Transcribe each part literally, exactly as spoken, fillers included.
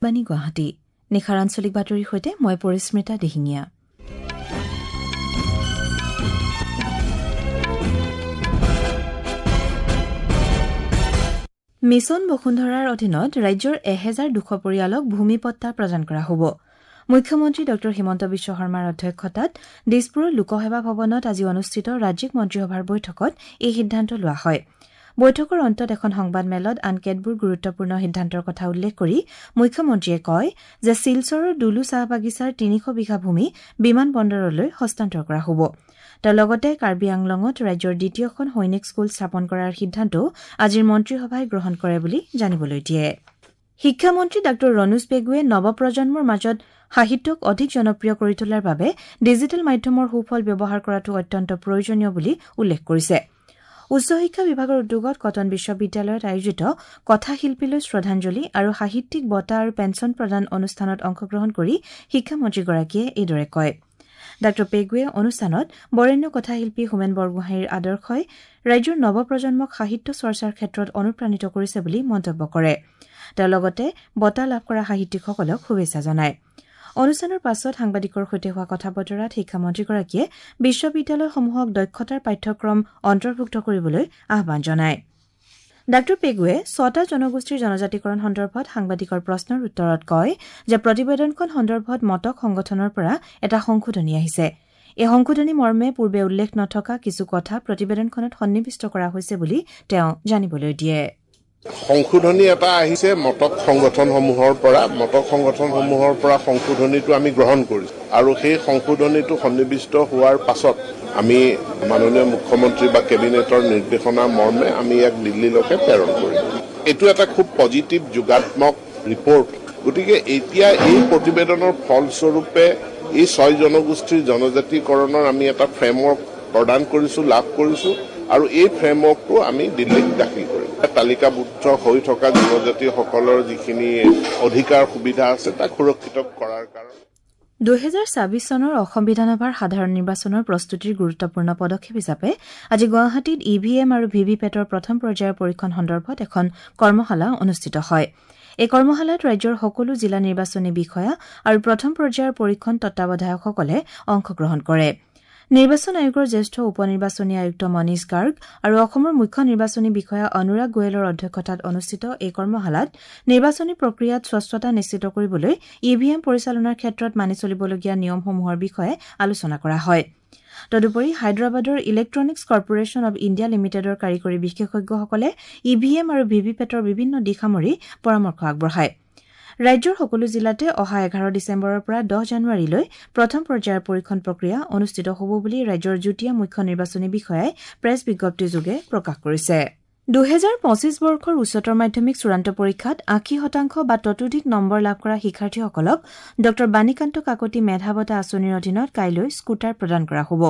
বাণী গুৱাহাটী নিশাৰ আঞ্চলিক বাতৰিৰ সৈতে মই পৰিস্মিতা দিহিঙীয়া। মিছন বসুন্ধৰাৰ অধীনত ৰাজ্যৰ এহেজাৰ দুশ পৰিয়ালক ভূমি পট্টা প্ৰদান কৰা হ'ব। মুখ্যমন্ত্ৰী ডঃ হিমন্ত বিশ্ব শৰ্মাৰ অধ্যক্ষতাত দিছপুৰৰ লোকসেৱা ভৱনত আজি অনুষ্ঠিত ৰাজ্যিক মন্ত্ৰীসভাৰ বৈঠকত এই সিদ্ধান্ত লোৱা হয়। বৈঠকৰ অন্তত এখন সংবাদমেলত আন কেতবোৰ গুৰুত্বপূৰ্ণ সিদ্ধান্তৰ কথা উল্লেখ কৰি মুখ্যমন্ত্ৰীয়ে কয় যে শিলচৰৰ দুলু চাহ বাগিচাৰ তিনিশ বিঘা ভূমি বিমান বন্দৰলৈ হস্তান্তৰ কৰা হ'ব। তেওঁ লগতে কাৰ্বি আংলঙত ৰাজ্যৰ দ্বিতীয়খন সৈনিক স্কুল স্থাপন কৰাৰ সিদ্ধান্তও আজিৰ মন্ত্ৰীসভাই গ্ৰহণ কৰে বুলি জানিবলৈ দিয়ে। শিক্ষামন্ত্ৰী ডাঃ ৰণোজ পেগুৱে নৱপ্ৰজন্মৰ মাজত সাহিত্যক অধিক জনপ্ৰিয় কৰি তোলাৰ বাবে ডিজিটেল মাধ্যমৰ সুফল ব্যৱহাৰ কৰাটো অত্যন্ত প্ৰয়োজনীয় বুলি উল্লেখ কৰিছে। উচ্চ শিক্ষা বিভাগৰ উদ্যোগত কটন বিশ্ববিদ্যালয়ত আয়োজিত কথাশিল্পীলৈ শ্ৰদ্ধাঞ্জলি আৰু সাহিত্যিক বঁটা আৰু পেঞ্চন প্ৰদান অনুষ্ঠানত অংশগ্ৰহণ কৰি শিক্ষামন্ত্ৰীগৰাকীয়ে এইদৰে কয়। ডাঃ পেগুৱে অনুষ্ঠানত বৰেণ্য কথাশিল্পী হোমেন বৰগোহাঁইৰ আদৰ্শই ৰাজ্যৰ নৱপ্ৰজন্মক সাহিত্য চৰ্চাৰ ক্ষেত্ৰত অনুপ্ৰাণিত কৰিছে বুলি মন্তব্য কৰে। তেওঁ লগতে বঁটা লাভ কৰা সাহিত্যিকসকলক শুভেচ্ছা জনায়। অনুষ্ঠানৰ পাছত সাংবাদিকৰ সৈতে হোৱা কথা বতৰাত শিক্ষামন্ত্ৰীগৰাকীয়ে বিশ্ববিদ্যালয়সমূহক দক্ষতাৰ পাঠ্যক্ৰম অন্তৰ্ভুক্ত কৰিবলৈ আহ্বান জনায়। ডাঃ পেগুৱে ছটা জনগোষ্ঠীৰ জনজাতিকৰণ সন্দৰ্ভত সাংবাদিকৰ প্ৰশ্নৰ উত্তৰত কয় যে প্ৰতিবেদনখন সন্দৰ্ভত মটক সংগঠনৰ পৰা এটা সংশোধনী আহিছে। এই সংশোধনী মৰ্মে পূৰ্বে উল্লেখ নথকা কিছু কথা প্ৰতিবেদনখনত সন্নিৱিষ্ট কৰা হৈছে বুলি তেওঁ জানিবলৈ দিয়ে। সংশোধনী এটা আহিছে মটক সংগঠনসমূহৰ পৰা। মটক সংগঠনসমূহৰ পৰা সংশোধনীটো আমি গ্ৰহণ কৰিছোঁ আৰু সেই সংশোধনীটো সন্নিৱিষ্ট হোৱাৰ পাছত আমি মাননীয় মুখ্যমন্ত্ৰী বা কেবিনেটৰ নিৰ্দেশনা মৰ্মে আমি ইয়াক দিল্লীলৈকে প্ৰেৰণ কৰিম। এইটো এটা খুব পজিটিভ যোগাত্মক ৰিপৰ্ট। গতিকে এতিয়া এই প্ৰতিবেদনৰ ফলস্বৰূপে এই ছয় জনগোষ্ঠীৰ জনজাতিকৰণৰ আমি এটা ফ্ৰেমৱৰ্ক প্ৰদান কৰিছোঁ, লাভ কৰিছোঁ আৰু এই ফ্ৰেমৱৰ্কটো আমি দিল্লীত দাখিল কৰিম। তালিকাভুক্ত হৈ থকা জনজাতিসকলৰ যিখিনি অধিকাৰ সুবিধা আছে তাক সুৰক্ষিত কৰাৰ কাৰণে দুহেজাৰ ছাব্বিছ চনৰ অসম বিধানসভাৰ সাধাৰণ নিৰ্বাচনৰ প্ৰস্তুতিৰ গুৰুত্বপূৰ্ণ পদক্ষেপ হিচাপে আজি গুৱাহাটীত ই ভি এম আৰু ভি ভি পেটৰ প্ৰথম পৰ্যায়ৰ পৰীক্ষণ সন্দৰ্ভত এখন কৰ্মশালা অনুষ্ঠিত হয়। এই কৰ্মশালাত ৰাজ্যৰ সকলো জিলা নিৰ্বাচনী বিষয়া আৰু প্ৰথম পৰ্যায়ৰ পৰীক্ষণ তত্বাৱধায়কসকলে অংশগ্ৰহণ কৰে। নিৰ্বাচন আয়োগৰ জ্যেষ্ঠ উপ নিৰ্বাচনী আয়ুক্ত মনীষ গাৰ্গ আৰু অসমৰ মুখ্য নিৰ্বাচনী বিষয়া অনুৰাগ গোৱেলৰ অধ্যক্ষতাত অনুষ্ঠিত এই কৰ্মশালাত নিৰ্বাচনী প্ৰক্ৰিয়াত স্বচ্ছতা নিশ্চিত কৰিবলৈ ই ভি এম পৰিচালনাৰ ক্ষেত্ৰত মানি চলিবলগীয়া নিয়মসমূহৰ বিষয়ে আলোচনা কৰা হয়। তদুপৰি হায়দৰাবাদৰ ইলেক্ট্ৰনিক্স কৰ্পোৰেশ্যন অৱ ইণ্ডিয়া লিমিটেডৰ কাৰিকৰী বিশেষজ্ঞসকলে ই ভি এম আৰু ভি ভি পেটৰ বিভিন্ন দিশ সামৰি পৰামৰ্শ আগবঢ়ায়। ৰাজ্যৰ সকলো জিলাতে অহা এঘাৰ ডিচেম্বৰৰ পৰা দহ জানুৱাৰীলৈ প্ৰথম পৰ্যায়ৰ পৰীক্ষণ প্ৰক্ৰিয়া অনুষ্ঠিত হ'ব বুলি ৰাজ্যৰ যুটীয়া মুখ্য নিৰ্বাচনী বিষয়াই প্ৰেছ বিজ্ঞপ্তিযোগে প্ৰকাশ কৰিছে। দুহেজাৰ পঁচিছ বৰ্ষৰ উচ্চতৰ মাধ্যমিক চূড়ান্ত পৰীক্ষাত আশী শতাংশ বা ততোধিক নম্বৰ লাভ কৰা শিক্ষাৰ্থীসকলক ডঃ বাণীকান্ত কাকতি মেধা বঁটা আঁচনিৰ অধীনত কাইলৈ স্কুটাৰ প্ৰদান কৰা হ'ব।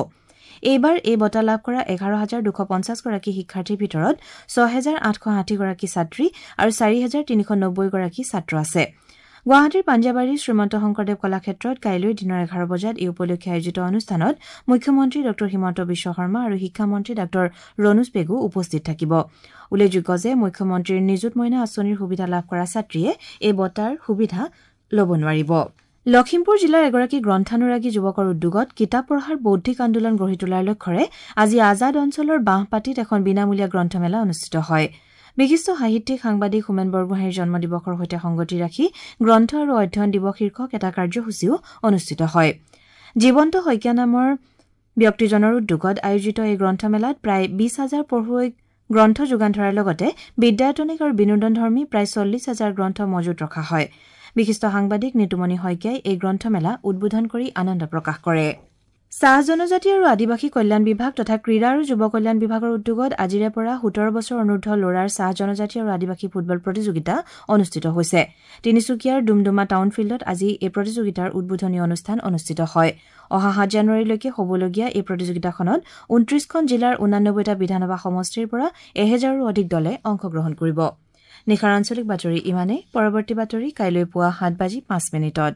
এইবাৰ এই বঁটা লাভ কৰা এঘাৰ হাজাৰ দুশ পঞ্চাছগৰাকী শিক্ষাৰ্থীৰ ভিতৰত ছহেজাৰ আঠশ ষাঠিগৰাকী ছাত্ৰী আৰু চাৰি হাজাৰ তিনিশ নব্বৈগৰাকী ছাত্ৰ আছে। গুৱাহাটীৰ পাঞ্জাবাৰীৰ শ্ৰীমন্ত শংকৰদেৱ কলাক্ষেত্ৰত কাইলৈ দিনৰ এঘাৰ বজাত এই উপলক্ষে আয়োজিত অনুষ্ঠানত মুখ্যমন্ত্ৰী ডঃ হিমন্ত বিশ্ব শৰ্মা আৰু শিক্ষামন্ত্ৰী ডাঃ ৰণোজ পেগু উপস্থিত থাকিব। উল্লেখযোগ্য যে মুখ্যমন্ত্ৰীৰ নিযুত মইনা আঁচনিৰ সুবিধা লাভ কৰা ছাত্ৰীয়ে এই বঁটাৰ সুবিধা ল'ব নোৱাৰিব। লখিমপুৰ জিলাৰ এগৰাকী গ্ৰন্থানুৰাগী যুৱকৰ উদ্যোগত কিতাপ পঢ়াৰ বৌদ্ধিক আন্দোলন গঢ়ি তোলাৰ লক্ষ্যৰে আজি আজাদ অঞ্চলৰ বাঁহপাতিত এখন বিনামূলীয়া গ্ৰন্থমেলা অনুষ্ঠিত হয়। বিশিষ্ট সাহিত্যিক সাংবাদিক হোমেন বৰগোহাঁইৰ জন্মদিৱসৰ সৈতে সংগতি ৰাখি গ্ৰন্থ আৰু অধ্যয়ন দিৱস শীৰ্ষক এটা কাৰ্যসূচীও অনুষ্ঠিত হয়। জীৱন্ত শইকীয়া নামৰ ব্যক্তিজনৰ উদ্যোগত আয়োজিত এই গ্ৰন্থমেলাত প্ৰায় বিশ হাজাৰ পঢ়ুৱৈক গ্ৰন্থ যোগান ধৰাৰ লগতে বিদ্যায়তনিক আৰু বিনোদনধৰ্মী প্ৰায় চল্লিছ হাজাৰ গ্ৰন্থ মজুত ৰখা হয়। বিশিষ্ট সাংবাদিক নিতুমণি শইকীয়াই এই গ্ৰন্থমেলা উদ্বোধন কৰি আনন্দ প্ৰকাশ কৰে। চাহ জনজাতি আৰু আদিবাসী কল্যাণ বিভাগ তথা ক্ৰীড়া আৰু যুৱ কল্যাণ বিভাগৰ উদ্যোগত আজিৰে পৰা সোতৰ বছৰ অনুৰ্ধ ল'ৰাৰ চাহ জনজাতি আৰু আদিবাসী ফুটবল প্ৰতিযোগিতা অনুষ্ঠিত হৈছে। তিনিচুকীয়াৰ ডুমডুমা টাউন ফিল্ডত আজি এই প্ৰতিযোগিতাৰ উদ্বোধনী অনুষ্ঠান অনুষ্ঠিত হয়। অহা সাত জানুৱাৰীলৈকে হ'বলগীয়া এই প্ৰতিযোগিতাখনত ঊনত্ৰিশখন জিলাৰ ঊনানব্বৈটা বিধানসভা সমষ্টিৰ পৰা এহেজাৰৰো অধিক দলে অংশগ্ৰহণ কৰিব। নিশাৰ আঞ্চলিক বাতৰি ইমানেই। পৰৱৰ্তী বাতৰি কাইলৈ পুৱা সাত বাজি পাঁচ মিনিটত।